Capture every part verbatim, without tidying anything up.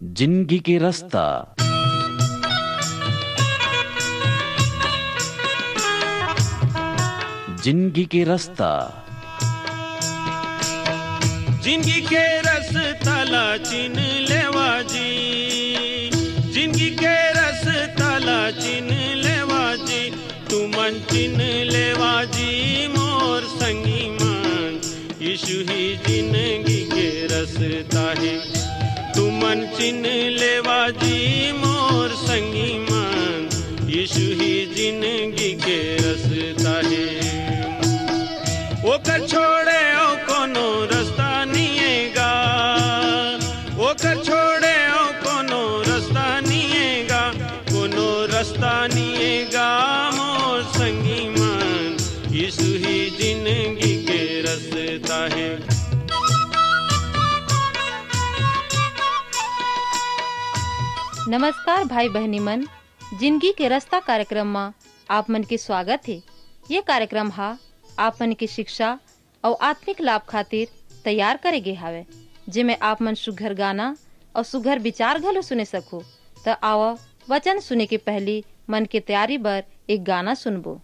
जिंदगी के रस्ता। जिंदगी के रस्ता। जिंदगी के रस्ता ला चिन लेवा जी, जिंदगी के रस्ता ला चिन लेवा जी, तुमन चिन लेवा जी मोर संगी मन, यीशु ही जिंदगी के रस्ता हे। तुमन चिन लेवा जी मोर संगी मन, यीशु ही जिंदगी के रस्ता हे। ओकर छोड़े अउ कोनो रस्ता निये गा, ओकर छोड़े अउ कोनो रस्ता निये गा, कोनो रस्ता निये गा मोर संगी मन, यीशु ही जिंदगी के रस्ता हे। नमस्कार भाई बहिनी मन, जिंदगी के रस्ता कार्यक्रम म आप मन के स्वागत हे। ये कार्यक्रम ह आप मन के शिक्षा अउ आत्मिक लाभ खातिर तैयार करे गे हावय, जेमे आप मन सुघर गाना अउ सुघर विचार घलो सुने सकहू। त आवा, वचन सुने के पहिली मन के तैयारी बर एक गाना सुनबो।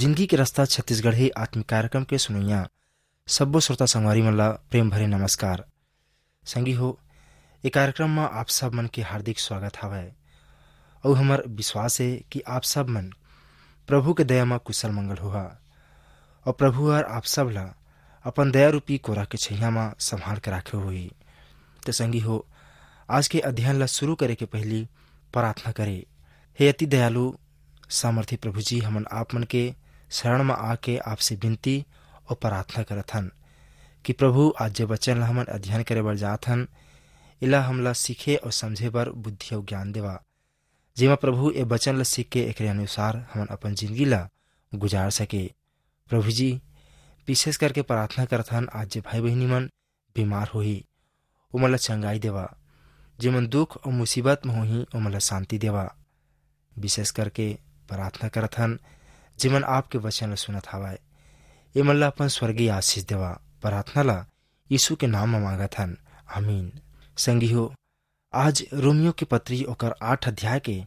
जिंदगी के रास्ता छत्तीसगढ़ी आत्मिक कार्यक्रम के सुनैया सब्बो श्रोता संगवारी मन ला प्रेम भरे नमस्कार। संगी हो, ए कार्यक्रम म आप सब मन के हार्दिक स्वागत हवय। अउ हमर विश्वास हे कि आप सब मन प्रभु के दया म कुशल मंगल होहा, अउ प्रभु हर आप सब ला अपन दया रूपी कोरा के छैया म संभाल के राखे होही। त संगी हो, आज के अध्ययन ला शुरू करे के पहिली प्रार्थना करे। हे अति दयालु सामर्थी प्रभु जी, हमन आप मन के शरण म आके आपसे विनती अउ प्रार्थना करत हन कि प्रभु, आज जे वचन ला हमन अध्ययन करे बर जात हन, एला हमला सीखे अउ समझे बर बुद्धि अउ ज्ञान देवा, जेमा प्रभु ए वचन ला सीख के एकरे अनुसार हमन अपन जिंदगी ला गुजार सके। प्रभु जी, विशेष करके प्रार्थना करत हन, आज जे भाई बहिनी मन बीमार होही, ओमन ला चंगाई देवा। जेमन दुख अउ मुसीबत म होही, ओमन ला शांति देवा। विशेष करके प्रार्थना करत हन, जेमन आपके वचन ला सुनत हवय, एमन ला अपन स्वर्गीय आशीष देवा। प्रार्थना ला यीशु के नाम म मांगत हन, आमीन। संगी हो, आज रोमियो के पत्री ओकर आठ अध्याय के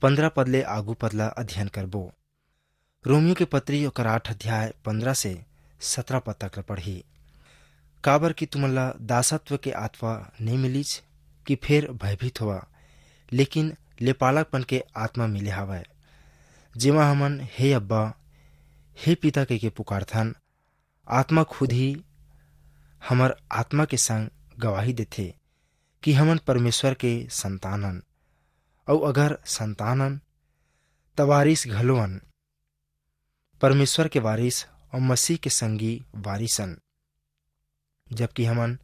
पन्द्रह पद ले आगू पद ला अध्ययन करबो। रोमियो के पत्री ओकर आठ अध्याय पन्द्रह से सत्रह पद तक ल पढ़ही। काबर कि तुमन ला दासत्व के आत्मा नइ मिलिस कि फेर भयभीत होवा, लेकिन लेपालकपन के आत्मा मिले हावय, जेमा हमन हे अब्बा, हे पिता कहिके पुकारथन। आत्मा खुद ही हमर आत्मा के संग गवाही देथे कि हमन परमेश्वर के संतान हन, अउ अगर संतान हन, त वारिस घलो हन, परमेश्वर के वारिस अउ मसीह के संगी वारिस हन, जबकि हमन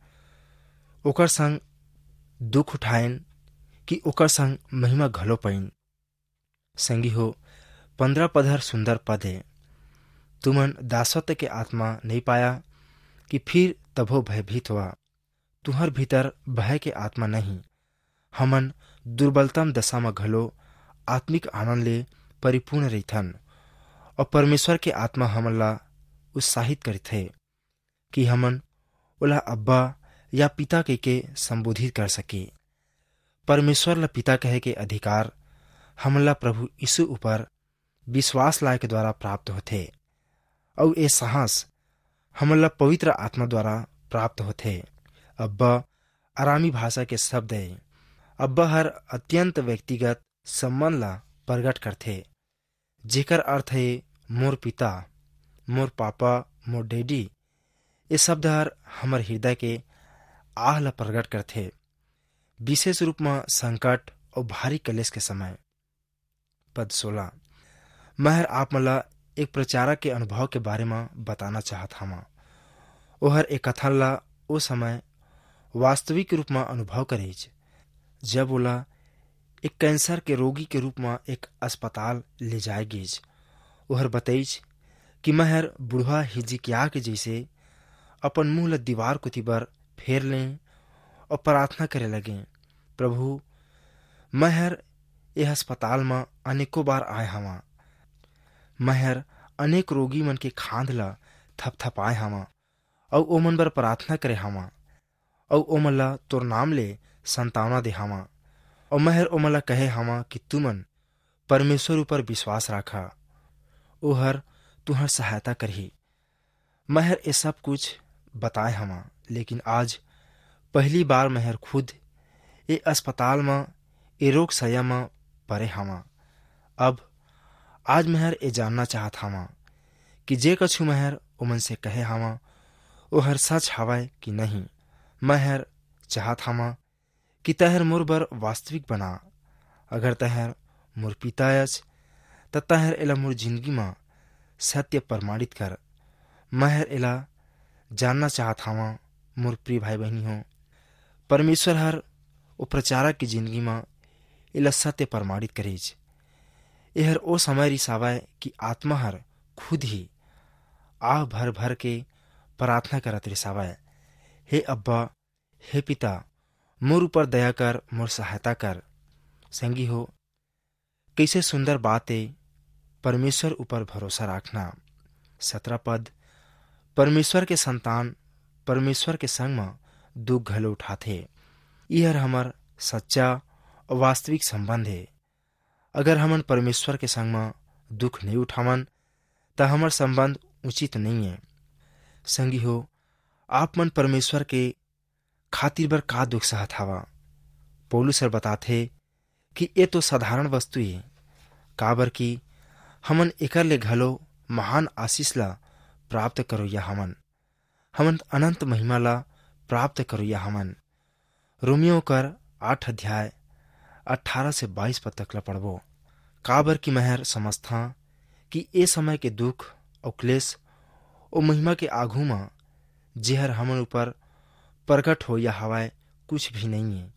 ओकर संग दुख उठाएन कि ओकर संग महिमा घलो पाइन। संगी हो, पन्द्रह पद हर सुंदर पद हे। तुमन दासत्व के आत्मा नइ पाया कि फिर तभो भयभीत होवा। तुहर भीतर भय के आत्मा नहीं। हमन दुर्बलतम दशा म घलो आत्मिक आनंद ले परिपूर्ण रहिथन, अउ परमेश्वर के आत्मा हमन ला उत्साहित करथे कि हमन ओला अब्बा या पिता कहिके संबोधित कर सके। परमेश्वर ला पिता कहे के अधिकार हमन ला प्रभु यीशु ऊपर विश्वास लाए के द्वारा प्राप्त होथे, अउ ए साहस हमन ला पवित्र आत्मा द्वारा प्राप्त होथे। अब्बा अरामी भाषा के शब्द हे। अब्बा हर अत्यंत व्यक्तिगत संबंध ला प्रगट करथे, जेकर अर्थ हे मोर पिता, मोर पापा, मोर डैडी। ये शब्द हर हमर हृदय के आह ला प्रगट करथे, विशेष रूप म संकट अउ भारी कलेश के समय। पद सोलह, मैं हर आप मन ला एक प्रचारक के अनुभव के बारे म बताना चाहत हवं। ओहर एक कथन ला ओ समय वास्तविक रूप म अनुभव करेच, जब ओला एक कैंसर के रोगी के रूप म एक अस्पताल ले जाए गीस। ओहर बतईच कि मैं हर बुढ़वा हिजकिय्याह के जइसे अपन मुंह ल दीवार कोति बर फेर लें अउ प्रार्थना करे लगें, "प्रभु, मैं हर ए अस्पताल म अनेकों बार आए हवं। मैं हर अनेक रोगी मन के खांध ल थपथपाए हवं अउ ओमन बर प्रार्थना करे हवं अउ ओमन ला तोर नाम ले संतावना दे हवं। अउ मैं हर ओमन ला कहे हवं कि तुमन परमेश्वर ऊपर विश्वास राखा, ओहर तुहर सहायता करही।" मैं हर ए सब कुछ बताए हवं, लेकिन आज पहली बार मैं हर खुद ए अस्पताल म ए रोग सया म परे हवं। अब आज मैं हर ए जानना चाहत हवं कि जे कछु मैं हर ओमन से कहे हवं, ओहर सच हवय कि नहीं। मैं हर चाहत हवं कि तैं हर मोर बर वास्तविक बना। अगर तैं हर मोर पिता अस, त तैं हर एला मोर जिंदगी म सत्य प्रमाणित कर। मैं हर एला जानना चाहत हवं, मोर प्रिय भाई बहिनी हो, परमेश्वर हर ओ प्रचारक के जिंदगी म एला सत्य प्रमाणित करिस। एहर ओ समय रिसावय कि आत्मा हर खुद ही आह भर भर के प्रार्थना करत रिसावय, "हे अब्बा, हे पिता, मोर ऊपर दया कर, मोर सहायता कर।" संगी हो, कइसे सुंदर बात ए परमेश्वर ऊपर भरोसा राखना। सतरा पद, परमेश्वर के संतान परमेश्वर के संग म दुख घलो उठाथे। इहर हमर सच्चा अउ वास्तविक संबंध हे। अगर हमन परमेश्वर के संग म दुख नइ उठावन, त हमर संबंध उचित नइये। संगी हो, आप मन परमेश्वर के खातिर बर का दुख सहत हवा? पौलुस हर बताथे कि ए तो साधारण वस्तु ए, काबर कि हमन एकर ले घलो महान आशीष ला प्राप्त करोइया हवन। हमन अनंत महिमा ला प्राप्त करोइया हवन। रोमियो कर आठ अध्याय अठारह से बाईस पद तक ला पढ़बो। काबर कि मैं हर समझथां कि ए समय के दुख अउ क्लेश ओ महिमा के आघू म जेहर हमन ऊपर प्रगट होइया हवय, कुछ भी नइये।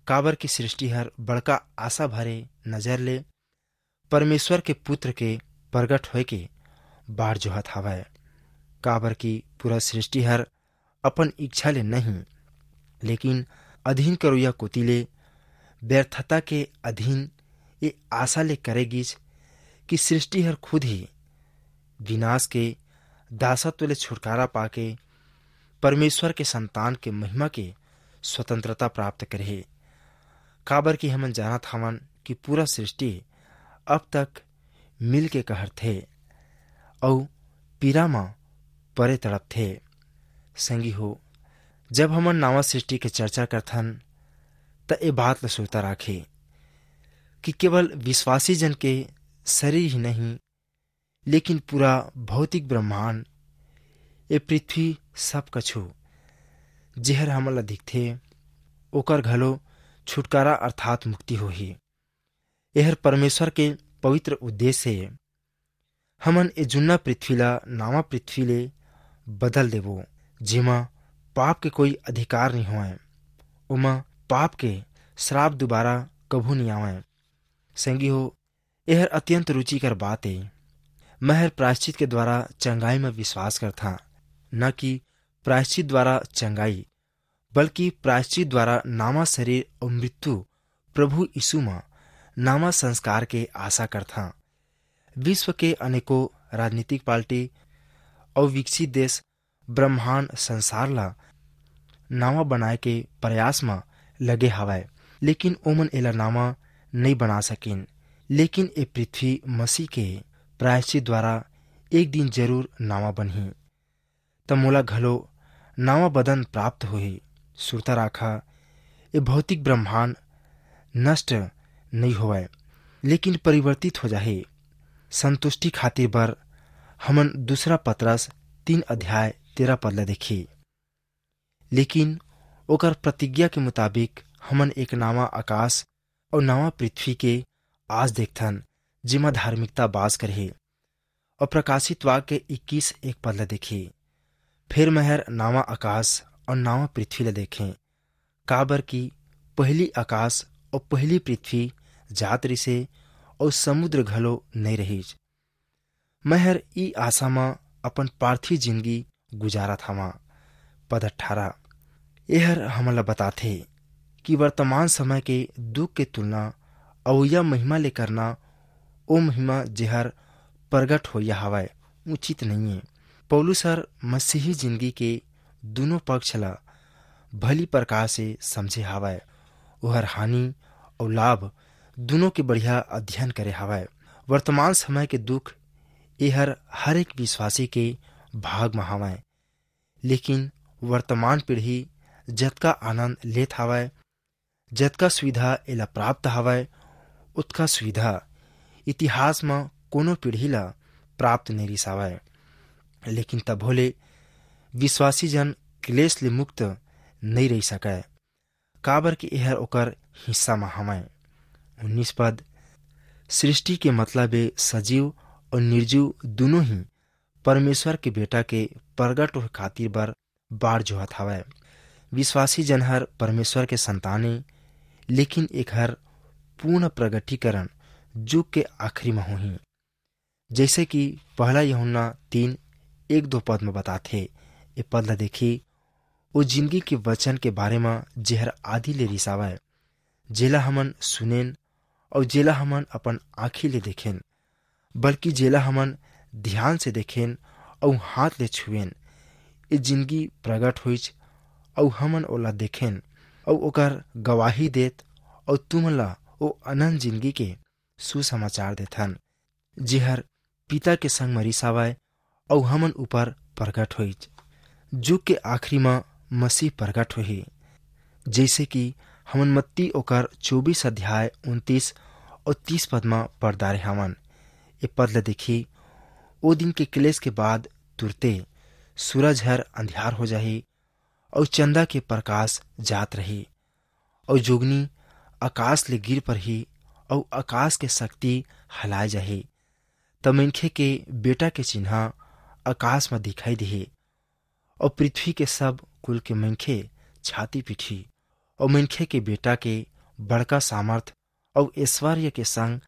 काबर कि सृष्टि हर बड़का आशा भरे नजर ले परमेश्वर के पुत्र के प्रगट होए के बाट जोहत हवय। काबर कि पूरा सृष्टि हर अपन इच्छा ले नहीं, लेकिन अधीन करोइया कोति ले व्यर्थता के अधीन ए आशा ले करे गिस कि सृष्टि हर खुद ही विनाश के दासत्व ले छुटकारा पाके परमेश्वर के संतान के महिमा के स्वतंत्रता प्राप्त करही। काबर कि हमन जानत हवन कि पूरा सृष्टि अब तक मिल के कहरथे अउ पीरा म परे तड़पथे। संगी हो, जब हमन नावा सृष्टि के चर्चा करथन, त ए बात ल सुरता राखे कि केवल विश्वासी जन के शरीर ही नहीं, लेकिन पूरा भौतिक ब्रह्मांड, ए पृथ्वी, सब कछु जेहर हमन ला दिखथे, ओकर घलो छुटकारा अर्थात मुक्ति होही। एहर परमेश्वर के पवित्र उद्देश्य हे। हमन ए जुन्ना पृथ्वी ला नावा पृथ्वी ले बदल देबो, जेमा पाप के कोई अधिकार नहीं होय, ओमा पाप के श्राप दोबारा कभू नहीं आवय। संगी हो, एहर अत्यंत रुचिकर बात ए। मैं हर प्रायश्चित के द्वारा चंगाई म विश्वास करथा, न कि प्रायश्चित द्वारा चंगाई, बल्कि प्रायश्चित द्वारा नावा शरीर अउ मृत्यु प्रभु यीशु म नावा संस्कार के आशा करथा। विश्व के अनेकों राजनीतिक पार्टी अउ विकसित देश ब्रह्मांड संसार ला नावा बनाए के प्रयास म लगे हवय, लेकिन ओमन एला नावा नइ बना सकिन। लेकिन ए पृथ्वी मसीह के प्रायश्चित द्वारा एक दिन जरूर नावा बनही, त मोला घलो नावा बदन प्राप्त होही। सुरता राखा, ए भौतिक ब्रह्मांड नष्ट नइ होवय, लेकिन परिवर्तित हो जाही। संतुष्टि खातिर बर हमन दूसरा पतरस तीन अध्याय तेरह पद ल देखी। लेकिन ओकर प्रतिज्ञा के मुताबिक हमन एक नावा आकाश अउ नावा पृथ्वी के आस देखथन, जेमा धार्मिकता बास करही। अउ प्रकाशित वाक्य इक्कीस एक पद ल देखी। फिर मैं हर नावा आकाश अउ नावा पृथ्वी ल देखें, काबर कि पहिली आकाश अउ पहिली पृथ्वी जात रिसे, अउ समुद्र घलो नइ रहिस। मैं हर ई आशा म अपन पार्थिव जिंदगी गुजारत हवं। पद अठारह, एहर हमन ला बताथे कि वर्तमान समय के दुख के तुलना अवइया महिमा ले करना, ओ महिमा जेहर प्रगट होइया हवय, उचित नइये। पौलुस हर मसीही जिंदगी के दुनों पक्ष ला भली प्रकार से समझे हवय। ओहर हानि अउ लाभ दुनों के बढ़िया अध्ययन करे हवय। वर्तमान समय के दुख एहर हर एक विश्वासी के भाग म हवय, लेकिन वर्तमान पीढ़ी जतका आनंद लेत हवय, जतका सुविधा एला प्राप्त हवय, ओतका सुविधा इतिहास म कोनो पीढ़ी ला प्राप्त नइ रिस हवय। लेकिन तभो ले विश्वासी जन क्लेश ले मुक्त नइ रहि सकय, काबर कि एहर ओकर हिस्सा म हवय। उन्नीस पद, सृष्टि के मतलब ए सजीव अउ निर्जीव दुनों ही परमेश्वर के बेटा के प्रगट होए खातिर बर बाट जोहत हवय। विश्वासी जन हर परमेश्वर के संतान ए, लेकिन एखर पूर्ण प्रगटीकरण जुग के आखिरी म होही। जैसे कि पहला यूहन्ना तीन एक दो पद म बताथे, ए पद ल देखी, ओ जिंदगी के वचन के बारे म जेहर आदि ले रिसावय, जेला हमन सुनेन अउ जेला हमन अपन आँखी ले देखेन, बल्कि जेला हमन ध्यान से देखेन अउ हाथ ले छुएन, ए जिंदगी प्रगट होइच अउ हमन ओला देखेन अउ ओकर गवाही देत अउ तुमन ला ओ अनंत जिंदगी के सुसमाचार देथन, जेहर पिता के संग म रिसावय अउ हमन ऊपर प्रगट होइच। जुग के आखिरी म मसीह प्रगट होही, जइसे कि हमन मत्ती ओकर चौबीस अध्याय उनतीस अउ तीस पद म पढ़ डारे हवन। ए पद ल देखी, ओ दिन के क्लेश के बाद तुरते सूरज हर अंधियार हो जाही, अउ चंदा के प्रकाश जात रही, अउ जोगनी आकाश ले गिर परही, अउ आकाश के शक्ति हलाए जाही। त मनखे के बेटा के चिन्हा आकाश म दिखाई दिही, अउ पृथ्वी के सब कुल के मनखे छाती पीठी, अउ मनखे के बेटा के बड़का सामर्थ अउ ऐश्वर्य के संग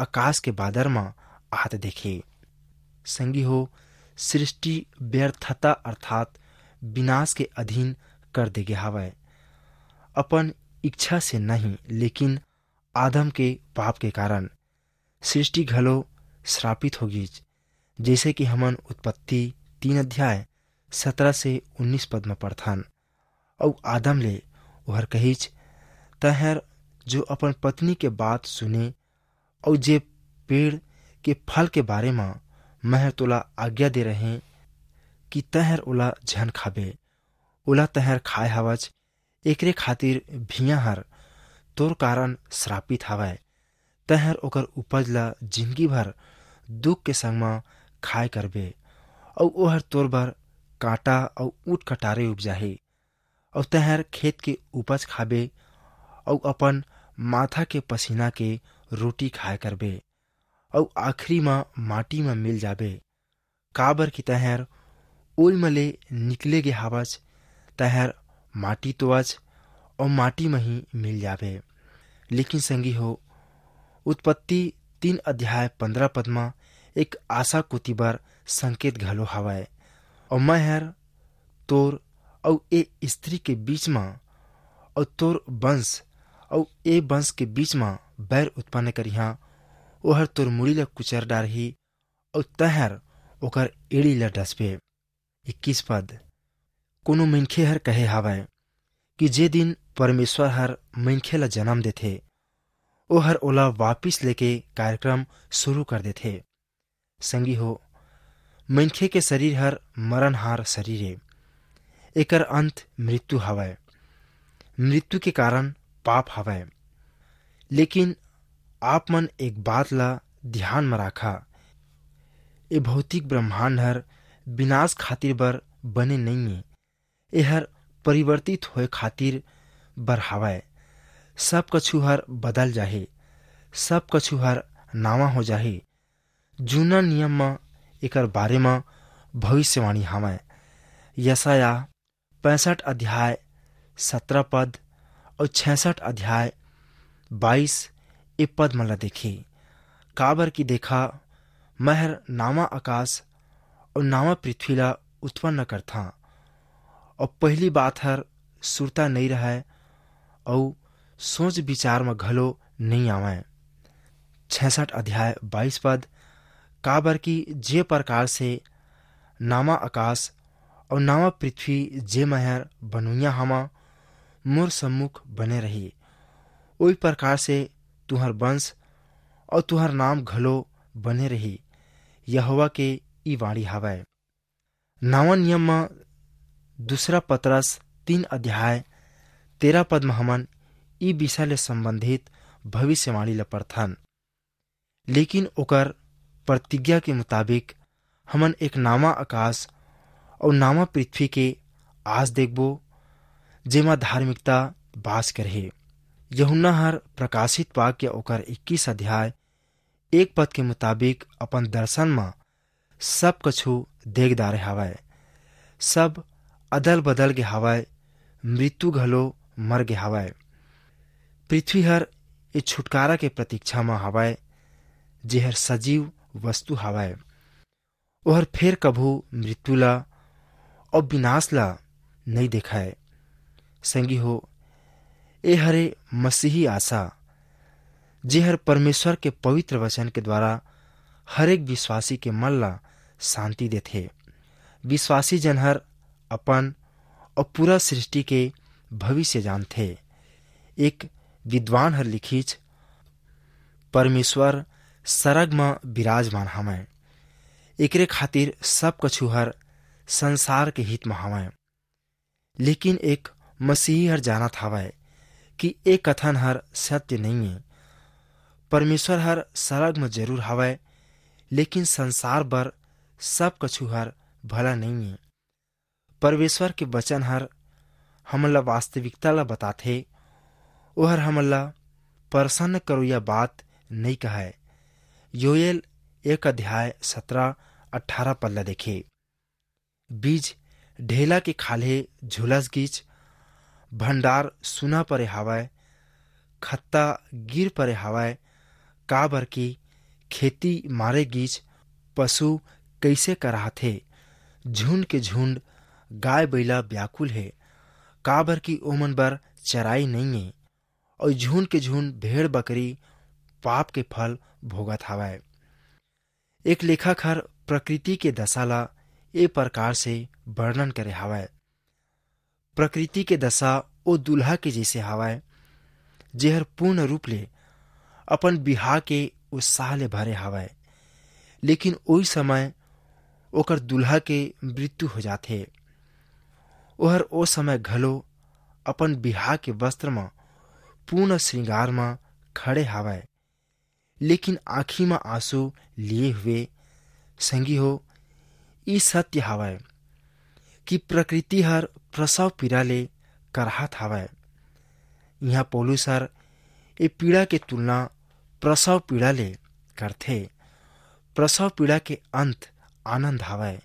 आकाश के बादर म आत देखे। संगी हो, सृष्टि व्यर्थता अर्थात विनाश के अधीन कर दे गे हवय। अपन इच्छा से नहीं, लेकिन आदम के पाप के कारण सृष्टि घलो श्रापित हो गीच, जैसे कि हमन उत्पत्ति तीन अध्याय सत्रह से उन्नीस पद म पढ़थन। अउ आदम ले ओहर कहिच, "तैंहर जो अपन पत्नी के बात सुने, अउ जे पेड़ के फल के बारे म मैं हर तोला आज्ञा दे रहें कि तैंहर ओला झन खाबे, ओला तैंहर खाए हवच, एकरे खातिर भिया हर तोर कारण श्रापित हवय। तैंहर ओकर उपज ला जिंदगी भर दुख के संग म खाए करबे, अउ ओहर तोर बर कांटा अउ ऊंट कटारे उपजाही। अउ तैंहर खेत के उपज खाबे, अउ अपन माथा के पसीना के रोटी खाए करबे, अउ आखिरी म माटी म मिल जाबे, काबर कि तैंहर ओई म ले निकले गे हावच, तैंहर माटी तो अच, अउ माटी म ही मिल जाबे।" लेकिन संगी हो, उत्पत्ति तीन अध्याय पन्द्रह पद म एक आशा कोति बर संकेत घलो हवय, "अउ मैं हर तोर अउ ए स्त्री के बीच म, अउ तोर वंश अउ ए वंश के बीच म बैर उत्पन्न करिहां, ओहर तोर मुड़ी ल कुचर डारही, अउ तैंहर ओकर एड़ी ल डसबे।" इक्कीस पद, कोनो मनखे हर कहे हावय कि जे दिन परमेश्वर हर मनखे ला जन्म देथे, ओहर ओला वापिस लेके कार्यक्रम शुरू कर देथे। संगी हो, मनखे के शरीर हर मरणहार शरीर ए, एकर अंत मृत्यु हवय। मृत्यु के कारण पाप हवय। लेकिन आप मन एक बात ला ध्यान म राखा, ए भौतिक ब्रह्मांड हर विनाश खातिर बर बने नइये, एहर परिवर्तित होए खातिर बर हवय। सब कछु हर बदल जाही, सब कछु हर नावा हो जाही। जूना नियम म एकर बारे म भविष्यवाणी हवय। यशायाह पैंसठ अध्याय सत्रह पद अउ छियासठ अध्याय बाईस ए पद मन ला देखी, काबर कि देखा, मैं हर नावा आकाश अउ नावा पृथ्वी ला उत्पन्न करथां, अउ पहिली बात हर सुरता नइ रहय, अउ सोच विचार म घलो नइ आवय। छियासठ अध्याय बाईस पद, काबर कि जे प्रकार से नावा आकाश अउ नावा पृथ्वी जे मैं हर बनइया हवं, मोर सम्मुख बने रही, ओही प्रकार से तुंहर वंश अउ तुंहर नाम घलो बने रही, यहोवा के ई वाणी हवय। नवा नियम म दूसरा पतरस तीन अध्याय तेरह पद म हमन ई विषय ले संबंधित भविष्यवाणी ल पढ़थन। लेकिन ओकर प्रतिज्ञा के मुताबिक हमन एक नावा आकाश अउ नावा पृथ्वी के आस देखबो, जेमा धार्मिकता बास करही। यूहन्ना हर प्रकाशित वाक्य ओकर इक्कीस अध्याय एक पद के मुताबिक अपन दर्शन म सब कछु देख डारे हवय। सब अदल बदल गे हवय, मृत्यु घलो मर गे हवय। पृथ्वी हर ए छुटकारा के प्रतीक्षा म हवय, जेहर सजीव वस्तु हवय। ओहर फेर कभू मृत्यु ला अउ विनाश ला नइ देखय। संगी हो, ए हरे मसीही आशा, जेहर परमेश्वर के पवित्र वचन के द्वारा हर एक विश्वासी के मन ला शांति देथे। विश्वासी जन हर अपन अउ पूरा सृष्टि के भविष्य जानथे। एक विद्वान हर लिखिच, "परमेश्वर सरग म विराजमान हवय, एकरे खातिर सब कछु हर संसार के हित म हवय। लेकिन एक मसीही हर जानत हवय कि ए कथन हर सत्य नइये। परमेश्वर हर सरग म जरूर हवय, लेकिन संसार बर सब कछु हर भला नइये। परमेश्वर के वचन हर हमन ला वास्तविकता ला बताथे। ओहर हमन ला प्रसन्न करोइया बात नइ कहय। योएल एक अध्याय सतरा अठारा पद ला देखे। बीज ढेला के खाल्हे झुलस गीच, भंडार सुना परे हावय, खत्ता गिर परे हावय, काबर कि खेती मारे गीच, पशु कइसे कराथे, झुंड के झुंड गाय बइला व्याकुल हे, काबर कि ओमन बर चराई नइये, अउ झुंड के झुंड भेड़ बकरी पाप के फल भोगत हावय। एक लेखक हर प्रकृति के दशा ला ए प्रकार से वर्णन करे हावय। प्रकृति के दशा ओ दूल्हा के जैसे हावय, जेहर पूर्ण रूप ले अपन बिहाव के उत्साह ले भरे हावय, लेकिन ओई समय ओकर दूल्हा के मृत्यु हो जाथे। ओहर ओ समय घलो अपन बिहाव के वस्त्र म, पूर्ण श्रृंगार म खड़े हावय, लेकिन आँखी म आंसू लिए हुए। संगी हो, ई सत्य हावय कि प्रकृति हर प्रसव पीड़ा ले कराहत हावय। इहाँ पौलुस हर ए पीड़ा के तुलना प्रसव पीड़ा ले करथे। प्रसव पीड़ा के अंत आनंद हावय।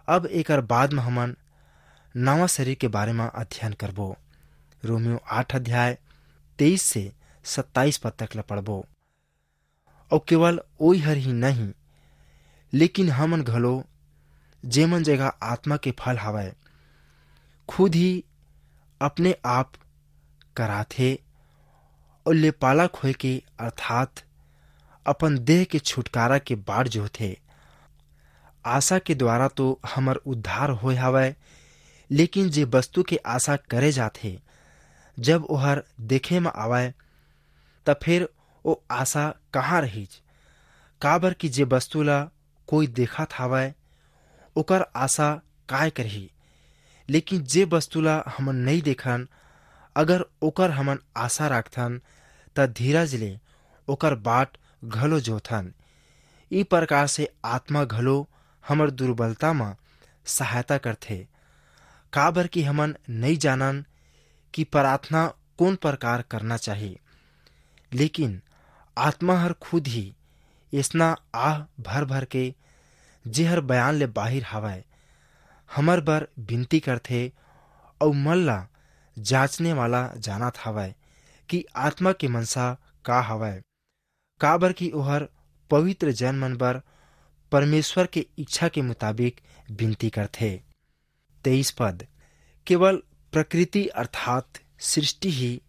अब एकर बाद म हमन नवा शरीर के बारे म अध्ययन करबो। रोमियो आठ अध्याय तेईस से सत्ताईस पद तक ल पढ़बो। अउ केवल ओई हर ही नहीं, लेकिन हमन घलो, जेमन जगह आत्मा के फल हावय, खुद ही अपने आप कराथे अउ लेपालक होय के, अर्थात अपन देह के छुटकारा के बाट जोहथे। आशा के द्वारा तो हमर उद्धार होय हावय, लेकिन जे वस्तु के आशा करे जाथे, जब ओहर देखे म आवय, त फेर ओ आशा कहाँ रहिच? काबर कि जे वस्तु ला कोई देखत हावय, ओकर आशा काय करही? लेकिन जे वस्तु ला हमन नइ देखन, अगर ओकर हमन आशा राखथन, त धीरज ले ओकर बाट घलो जोथन। ई प्रकार से आत्मा घलो हमर दुर्बलता म सहायता करथे, काबर कि हमन नइ जानन कि प्रार्थना कोन प्रकार करना चाही, लेकिन आत्मा हर खुद ही एसना आह भर भर के, जेहर बयान ले बाहिर हावय, हमर बर बिनती करथे, अउ मन ला जांचने वाला जानत हावय कि आत्मा के मनसा का हावय, काबर कि ओहर पवित्र जन मन बर परमेश्वर के इच्छा के मुताबिक बिनती करथे। तेईस पद, केवल प्रकृति अर्थात सृष्टि ही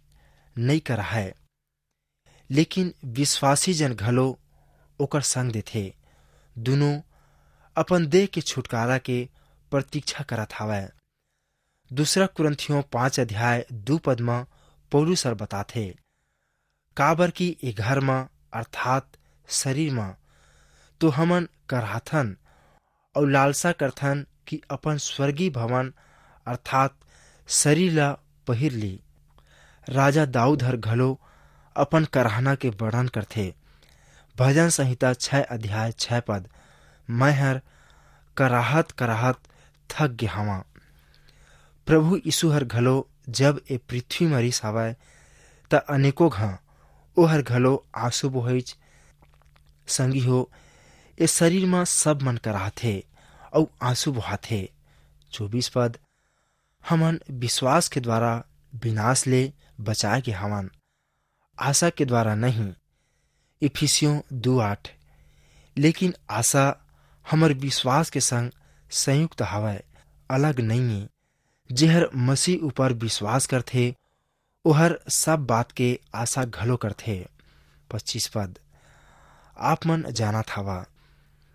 नई कराहय, लेकिन विश्वासी जन घलो ओकर संग देथे। दुनों अपन देह के छुटकारा के प्रतीक्षा करत हावय। दूसरा कुरिन्थियों पाँच अध्याय दू पद म पौलुस हर बताथे, काबर कि ए घर म अर्थात शरीर म तो हमन कराथन अउ लालसा करथन कि अपन स्वर्गीय भवन अर्थात शरीर ला पहिर ली। राजा दाऊद हर घलो अपन कराहना के वर्णन करथे। भजन संहिता छह अध्याय छह पद, मैं हर कराहत कराहत थक गे हवां। प्रभु यीशु हर घलो जब ए पृथ्वी म रिस हवय, त अनेकों घां ओहर घलो आंसू बोहिच। संगी हो, ए शरीर म सब मन कराहथे अउ आंसू बोहाथे। चौबीस पद, हमन विश्वास के द्वारा विनाश ले बचाए गे हवन, आशा के द्वारा नहीं। इफिसियों दू आठ, लेकिन आशा हमर विश्वास के संग संयुक्त हवय, अलग नइये। जेहर मसीह ऊपर विश्वास करथे, ओहर सब बात के आशा घलो करथे। पच्चीस पद, आप मन जानत हवा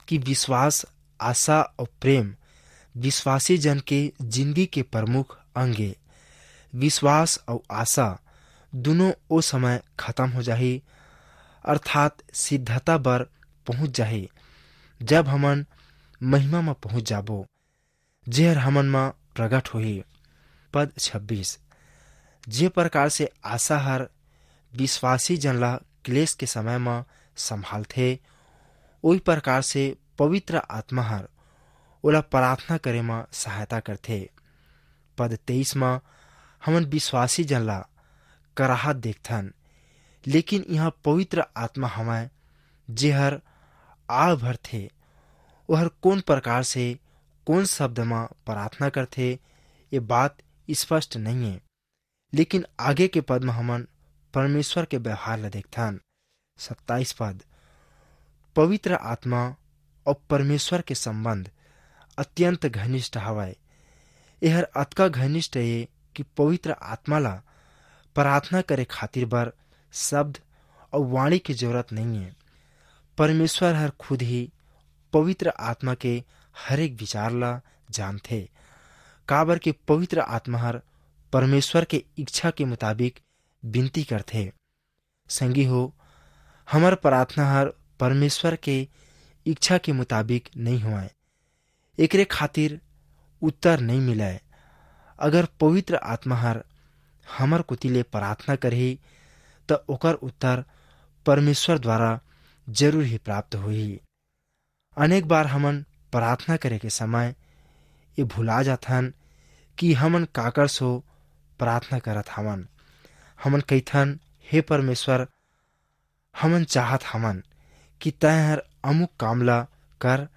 कि विश्वास, आशा अउ प्रेम विश्वासी जन के जिंदगी के प्रमुख अंग ए। विश्वास अउ आशा दुनों ओ समय खत्म हो जाही, अर्थात सिद्धता बर पहुंच जाही, जब हमन महिमा म पहुंच जाबो, जेहर हमन म प्रगट होही। पद छब्बीस, जे प्रकार से आशा हर विश्वासी जन ला क्लेश के समय म संभालथे, ओही प्रकार से पवित्र आत्मा हर ओला प्रार्थना करे म सहायता करथे। पद तेईस म हमन विश्वासी जन ला कराहत देखथन, लेकिन इहाँ पवित्र आत्मा हवय, जेहर आड़ भरथे। ओहर कोन प्रकार से, कोन शब्द म प्रार्थना करथे, ये बात स्पष्ट नइये। लेकिन आगे के पद म हमन परमेश्वर के व्यवहार ला देखथन। सत्ताईस पद, पवित्र आत्मा अउ परमेश्वर के संबंध अत्यंत घनिष्ठ हवय। एहर अतका घनिष्ठ ये कि पवित्र आत्मा ला प्रार्थना करे खातिर बर शब्द अउ वाणी के जरूरत नइये। परमेश्वर हर खुद ही पवित्र आत्मा के हर एक विचार ला जानथे, काबर के पवित्र आत्मा हर परमेश्वर के इच्छा के मुताबिक विनती करथे। संगी हो, हमर प्रार्थना हर परमेश्वर के इच्छा के मुताबिक नइ होवय, एकरे खातिर उत्तर नइ मिलय। अगर पवित्र आत्मा हर हमर कोति ले प्रार्थना करही, त ओकर उत्तर परमेश्वर द्वारा जरूर ही प्राप्त होही। अनेक बार हमन प्रार्थना करे के समय ये भुला जाथन कि हमन काकर सो प्रार्थना करत हवन। हमन कहिथन, "हे परमेश्वर, हमन चाहत हवन कि तैं हर अमुक काम ला कर।"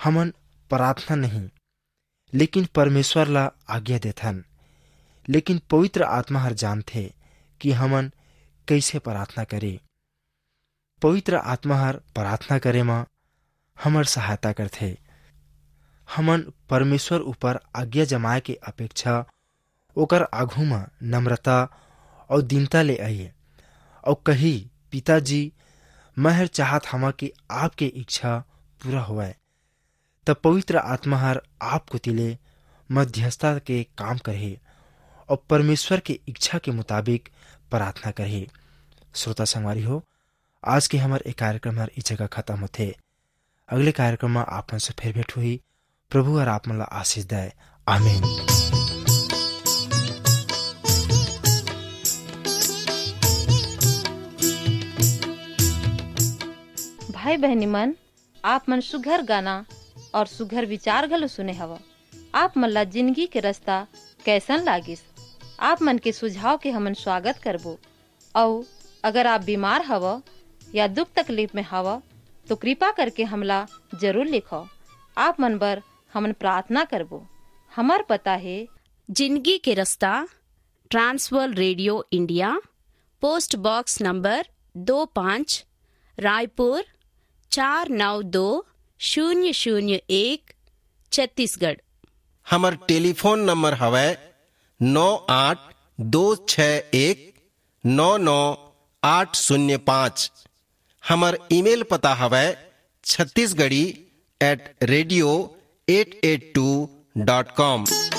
हमन प्रार्थना नहीं, लेकिन परमेश्वर ला आज्ञा देथन। लेकिन पवित्र आत्मा हर जानथे कि हमन कइसे प्रार्थना करे। पवित्र आत्मा हर प्रार्थना करे म हमर सहायता करथे। हमन परमेश्वर ऊपर आज्ञा जमाए के अपेक्षा ओकर आघू म नम्रता अउ दीनता ले आइए अउ कही, "पिताजी, मैं हर चाहत हवं कि आपके इच्छा पूरा होवय।" तब पवित्र आत्मा हर आप कोति ले मध्यस्थता के काम करही अउ परमेश्वर के इच्छा के मुताबिक प्रार्थना करही। श्रोता संगवारी हो, आज के हमर ए कार्यक्रम हर ई जगह खत्म होथे। अगले कार्यक्रम म आप मन से फिर भेंट होही। प्रभु हर आप मन ला आशीष दय। आमीन। भाई बहनी मन, आप मन सुघर गाना और सुघर विचार घलो सुने हव। आप मन ला जिंदगी के रास्ता कैसन लागिस? आप मन के सुझाव के हमन स्वागत करबो। अउ अगर आप बीमार हव या दुख तकलीफ में हव, तो कृपा करके हमला जरूर लिखव। आप मन बर हमन प्रार्थना करबो। हमर पता हे। जिंदगी के रास्ता, Trans World radio India, post box number दो पाँच, रायपुर चार नौ दो शून्य शून्य एक, छत्तीसगढ़। हमर टेलीफोन नंबर हवय नौ आठ दो छः एक नौ नौ आठ शून्य पाँच। हमर ईमेल पता हवय Chhattisgarhi at radio eight eight two dot com।